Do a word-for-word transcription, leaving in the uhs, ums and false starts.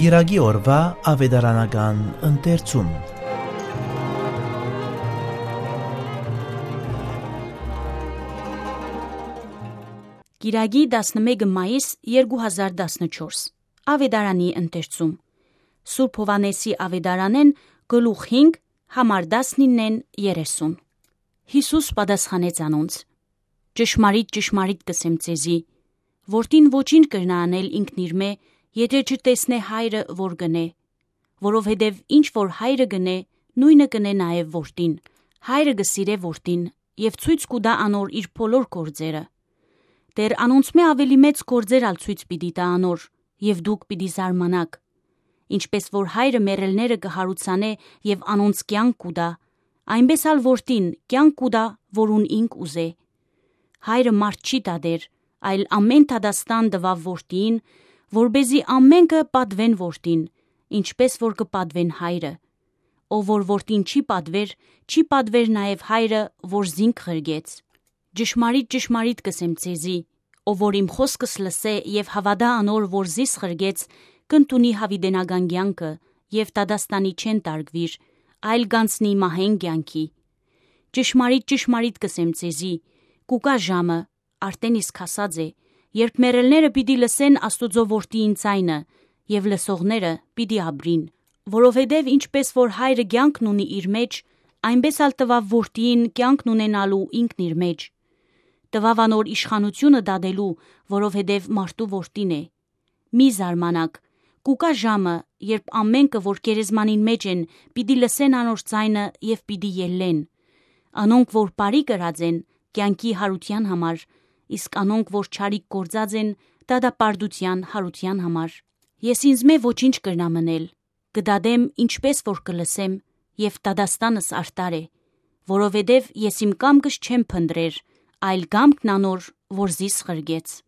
Կիրակի օրուայ աւետարանական ընթերցում։ Կիրակի, տասնմէկը մայիս երկու հազար տասնչորս։ Աւետարանի ընթերցում։ Սուրբ Յովհաննէսի աւետարանէն, գլուխ հինգ, համար տասնիննէն երեսուն։ Յիսուս պատասխանեց անոնց. «Ճշմարիտ, ճշմարիտ կ'ըսեմ ձեզի, որդին ոչինչ կրնայ անել ինքնիրմէ, եթէ չտեսնէ հայրը որ կ'ընէ, որովհետեւ ինչ որ հայրը կ'ընէ, նոյնը կ'ընէ նաեւ որդին։ Հայրը կը սիրէ որդին եւ ցոյց կու տայ անոր իր բոլոր գործերը։ Դեռ անոնցմէ աւելի մեծ գործեր ալ ցոյց պիտի տայ անոր, եւ դուք պիտի զարմանաք։ Ինչպէս որ հայրը մեռելները կը յարուցանէ եւ անոնց կեանք կու տայ, այնպէս ալ որդին կեանք կու տայ, որուն ինք ուզէ։ Հայրը մարդ չի դատեր, այլ ամէն դատաստան տուաւ որդիին, որպէզի ամէնքը պատուեն որդին, ինչպէս որ կը պատուեն հայրը։ Ով որ որդին չի պատուեր, չի պատուեր նաեւ հայրը, որ զինք ղրկեց։ Ճշմարիտ, ճշմարիտ կ'ըսեմ ձեզի, ով որ իմ խօսքս լսէ եւ հաւատայ անոր, որ զիս ղրկեց, կ'ընդունի յաւիտենական կեանքը եւ դատաստանի չեն տարկուիր, այլ կ'անցնի մահէն կեանքի։ Ճշմարիտ, ճշմարիտ կ'ըսեմ ձեզի, կու գայ ժամը, արդէն իսկ հասած է, երբ մեռելները պիտի լսեն Աստուծոյ որդիին ձայնը, եւ լսողները պիտի ապրին, որովհետեւ ինչպէս որ հայրը կեանքն ունի իր մէջ, այնպէս ալ տուաւ որդիին կեանքն ունենալու ինքն իր մէջ։ Տուաւ անոր իշխանութիւնը դատելու, որովհետեւ մարդու որդին է։ Մի զարմանաք, կու գայ ժամը, երբ ամէնքը, որ գերեզմանին մէջ են, պիտի լսեն անոր ձայնը եւ պիտի ելլեն։ Անոնք, որ բարի կրած են, կեանքի յարութեան համար, իսկ անոնք, որ չարիք գործած են, դատապարտութեան յարութեան համար։ Ես ինձմէ ոչինչ կրնամ ընել, կը դատեմ, ինչպէս որ կը լսեմ, եւ դատաստանս արդար է, որովհետեւ ես իմ կամքս չեմ փնտռեր, այլ կամքն անոր, որ զիս ղրկեց։